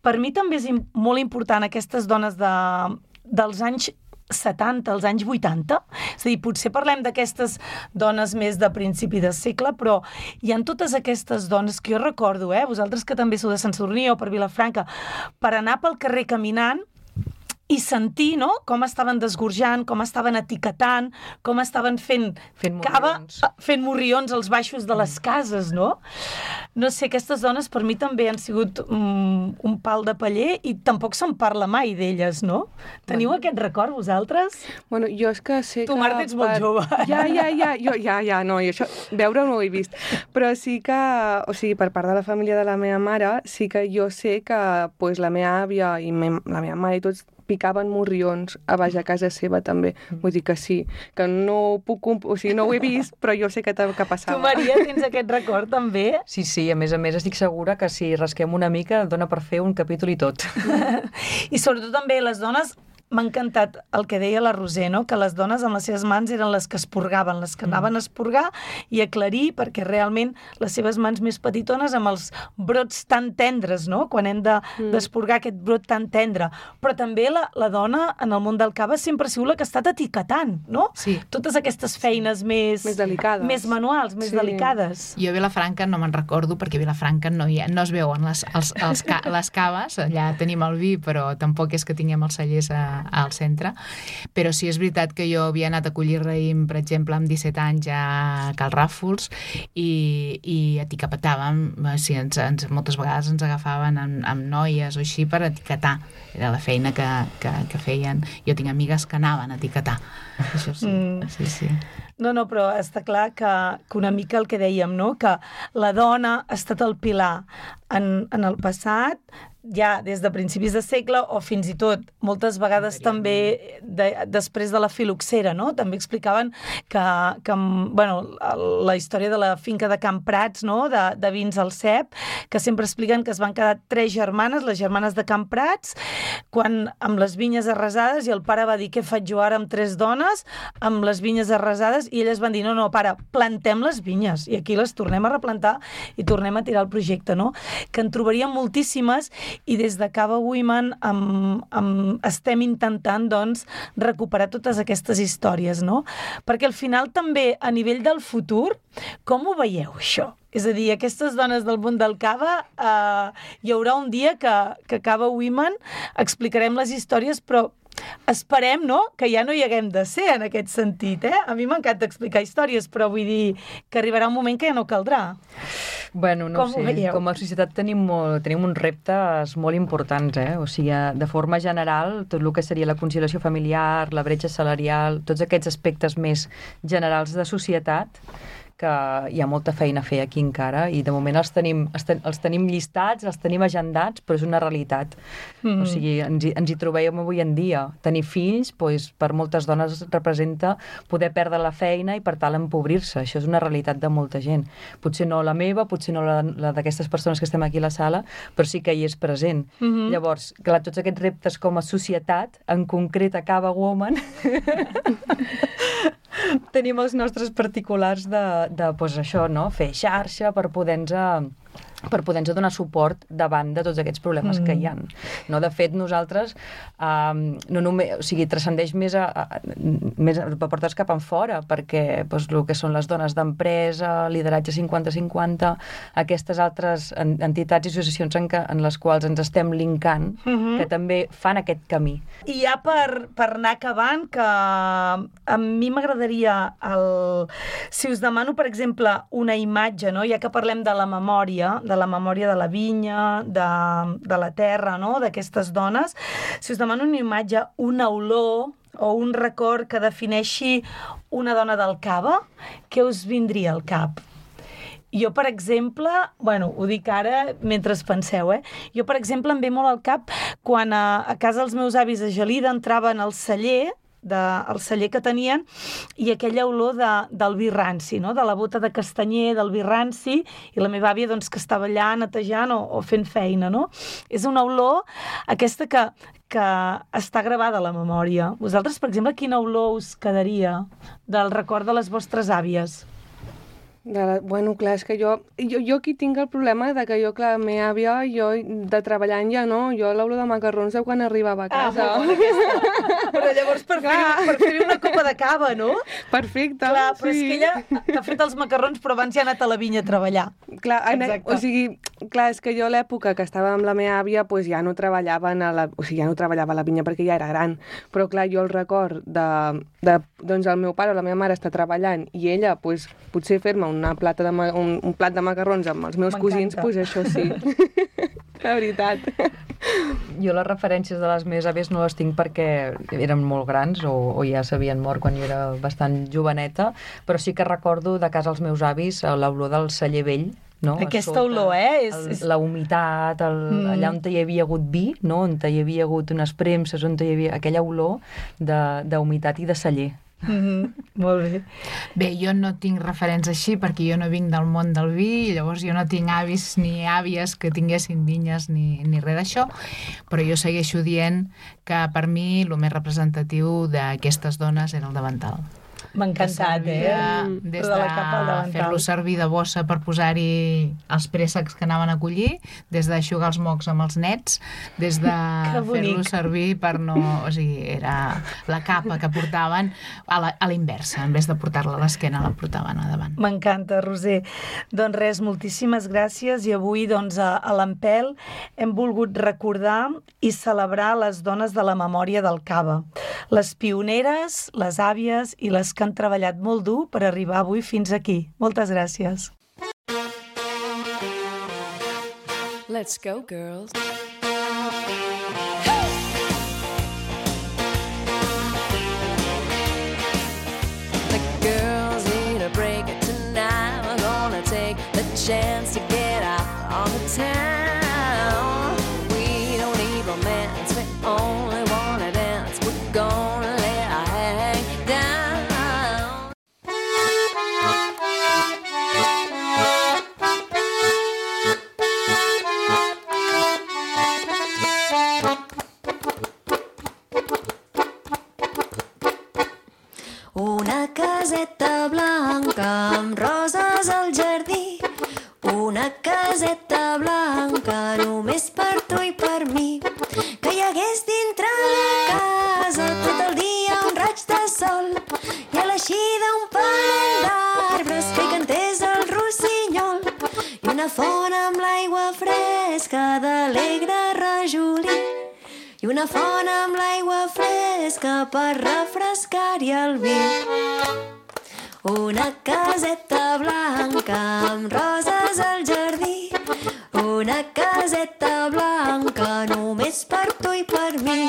per mi també és molt important aquestes dones dels anys 70, als anys 80. És a dir, potser parlem d'aquestes dones més de principi de segle, però hi ha totes aquestes dones que jo recordo, vosaltres que també sou de Sant Sadurní o per Vilafranca, per anar pel carrer caminant i sentir, no?, com estaven desgorjant, com estaven etiquetant, com estaven fent cava, fent morrions als baixos de les cases, no? No sé, aquestes dones per mi també han sigut un pal de paller i tampoc se'n parla mai d'elles, no? Teniu aquest record, vosaltres? Bueno, jo és que sé que... Tu, Marta, ets molt jove. Ja, no, i això, veure no ho he vist. Però sí que, o sigui, per part de la família de la meva mare, sí que jo sé que pues, la meva àvia i la meva mare i tots picaven morrions a baix a casa seva també. Vull dir que sí, que no puc... O sigui, no ho he vist, però jo sé que passava. Tu, Maria, tens aquest record també? Sí, a més estic segura que si rasquem una mica dona per fer un capítol i tot. I sobretot també les dones m'ha encantat el que deia la Roser, no? Que les dones amb les seves mans eren les que esporgaven, les que anaven a esporgar i aclarir, perquè realment les seves mans més petitones amb els brots tan tendres, no? Quan hem d'esporgar aquest brot tan tendre. Però també la dona en el món del cava sempre ha sigut la que ha estat etiquetant, no? Sí. Totes aquestes feines més delicades, més manuals, més delicades. Jo a Vilafranca no me'n recordo, perquè a Vilafranca no es veuen les caves, allà tenim el vi, però tampoc és que tinguem els cellers al centre. Però sí és veritat que jo havia anat a collir raïm, per exemple, amb 17 anys a Cal Ràfols i etiquetàvem, moltes vegades ens agafaven amb noies o així per etiquetar. Era la feina que feien. Jo tinc amigues que anaven a etiquetar. Això sí, sí. No, però està clar que una mica el que dèiem, no? Que la dona ha estat el pilar en el passat, ja des de principis de segle, o fins i tot moltes vegades també després de la filoxera, no? També explicaven que la història de la finca de Can Prats, no? De Vins al Cep, que sempre expliquen que es van quedar 3 germanes, les germanes de Can Prats, amb les vinyes arrasades, i el pare va dir, què faig jo ara amb 3 dones, amb les vinyes arrasades, i elles van dir, no, pare, plantem les vinyes, i aquí les tornem a replantar i tornem a tirar el projecte, no? Que en trobaríem moltíssimes, i des de Cava Women estem intentant, doncs, recuperar totes aquestes històries, no? Perquè al final també, a nivell del futur, com ho veieu, això? És a dir, aquestes dones del món del cava, hi haurà un dia que Cava Women explicarem les històries, però esperem, no?, que ja no hi haguem de ser en aquest sentit, A mi m'encanta explicar històries, però vull dir que arribarà un moment que ja no caldrà. Bueno, no sé, com a societat tenim uns reptes molt importants, O sigui, de forma general, tot el que seria la conciliació familiar, la bretxa salarial, tots aquests aspectes més generals de societat, que hi ha molta feina a fer aquí encara, i de moment els tenim llistats, els tenim agendats, però és una realitat. O sigui, ens hi trobem avui en dia. Tenir fills, doncs, per moltes dones representa poder perdre la feina i, per tant, empobrir-se. Això és una realitat de molta gent. Potser no la meva, potser no la d'aquestes persones que estem aquí a la sala, però sí que hi és present. Llavors, clar, tots aquests reptes com a societat, en concret a Cava Women, tenim els nostres particulars de pues això, no? Fer xarxa per poder-nos donar suport davant de tots aquests problemes que hi ha. No? De fet, nosaltres no només, o sigui, transcendeix més a portar-nos cap enfora, perquè doncs, el que són les dones d'empresa, lideratge 50-50, aquestes altres entitats i associacions en les quals ens estem linkant, que també fan aquest camí. I ja per anar acabant, que a mi m'agradaria, si us demano, per exemple, una imatge, no? Ja que parlem de la memòria de la vinya, de la terra, no? D'aquestes dones, si us demano una imatge, una olor o un record que defineixi una dona del cava, què us vindria al cap? Jo, per exemple, ho dic ara mentre penseu, Jo, per exemple, em ve molt al cap quan a casa dels meus avis a Gelida entraven al celler, el celler que tenien, i aquella olor del vi ranci, no? De la bota de castanyer, del vi ranci, i la meva àvia doncs, que estava allà netejant o fent feina, no? És una olor aquesta que està gravada a la memòria. Vosaltres, per exemple, quina olor us quedaria del record de les vostres àvies? Bueno, clar, és que jo aquí tinc el problema de que clar, la meva àvia, jo de treballant ja no, jo l'olor de macarrons de quan arribava a casa. Però llavors per fer una copa de cava, no? Perfecte, clar, però és que ella t'ha fet els macarrons, però abans ja ha anat a la vinya a treballar. Clar, o sigui, clar, és que jo a l'època que estava amb la meva àvia, doncs ja no treballava a la vinya perquè ja era gran, però clar, jo el record doncs el meu pare o la meva mare està treballant i ella, doncs, potser fer-me un plat de macarrons amb els meus cosins, doncs això sí. La veritat. Jo les referències de les meves àvies no les tinc perquè eren molt grans o ja s'havien mort quan jo era bastant joveneta, però sí que recordo de casa els meus avis l'olor del celler vell, no? Aquesta olor, la humitat, allà on hi havia hagut vi, no? On hi havia hagut unes premses, on hi havia aquella olor d'humitat i de celler. Molt bé. Bé, jo no tinc referents així perquè jo no vinc del món del vi, llavors jo no tinc avis ni àvies que tinguessin vinyes ni res d'això, però jo segueixo dient que per mi el més representatiu d'aquestes dones era el davantal. M'ha encantat, Des de fer-lo servir de bossa per posar-hi els préssecs que anaven a collir, des d'aixugar els mocs amb els nets, des de fer-lo servir per no... O sigui, era la capa que portaven a la inversa, en vez de portar-la a l'esquena, la portaven a davant. M'encanta, Roser. Doncs res, moltíssimes gràcies, i avui doncs, a l'Empel hem volgut recordar i celebrar les dones de la memòria del cava, les pioneres, les àvies i les que han treballat molt dur per arribar avui fins aquí. Moltes gràcies. Let's go, girls. The girls need a break tonight. We're gonna take the chance to get out on the town. We don't need romance, we only wanna dance. We're gonna let our hang down. Una caseta blanca amb roses al jardí, una caseta blanca només per tu i per mi, que hi hagués dintre la casa tot el dia un raig de sol i a l'eixida un parell d'arbres que hi cantés el rossinyol i una font amb l'aigua fresca d'alegre rajolí i una font amb l'aigua fresca per refrescar-hi el vi. Una caseta blanca amb roses al jardí, una caseta blanca només per tu i per mi.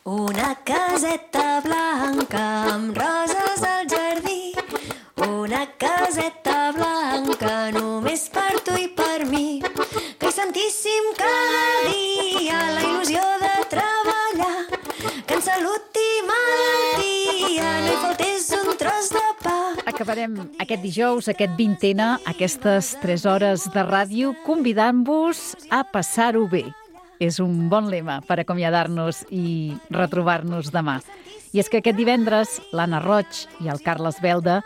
Una caseta blanca amb roses al jardí, una caseta blanca només per tu i per mi, que hi sentíssim cada dia la il·lusió de treballar, que en salut i malaltia no hi faltés un tros de pa. Acabarem aquest dijous, aquest 20ena, aquestes 3 hores de ràdio, convidant-vos a passar-ho bé. És un bon lema per acomiadar-nos i retrobar-nos demà. I és que aquest divendres l'Anna Roig i el Carles Belda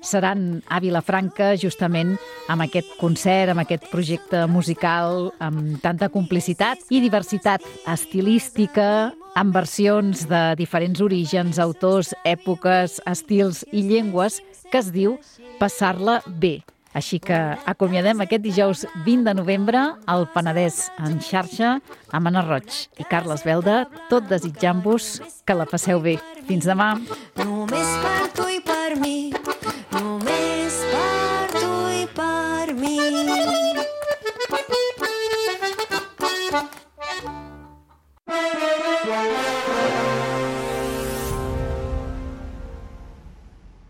seran a Vilafranca justament amb aquest concert, amb aquest projecte musical, amb tanta complicitat i diversitat estilística, amb versions de diferents orígens, autors, èpoques, estils i llengües, que es diu Passar-la bé. Així que acomiadem aquest dijous 20 de novembre al Penedès en xarxa amb Anna Roig i Carles Belda, tot desitjant-vos que la passeu bé. Fins demà. Només per tu i per mi, només per tu i per mi.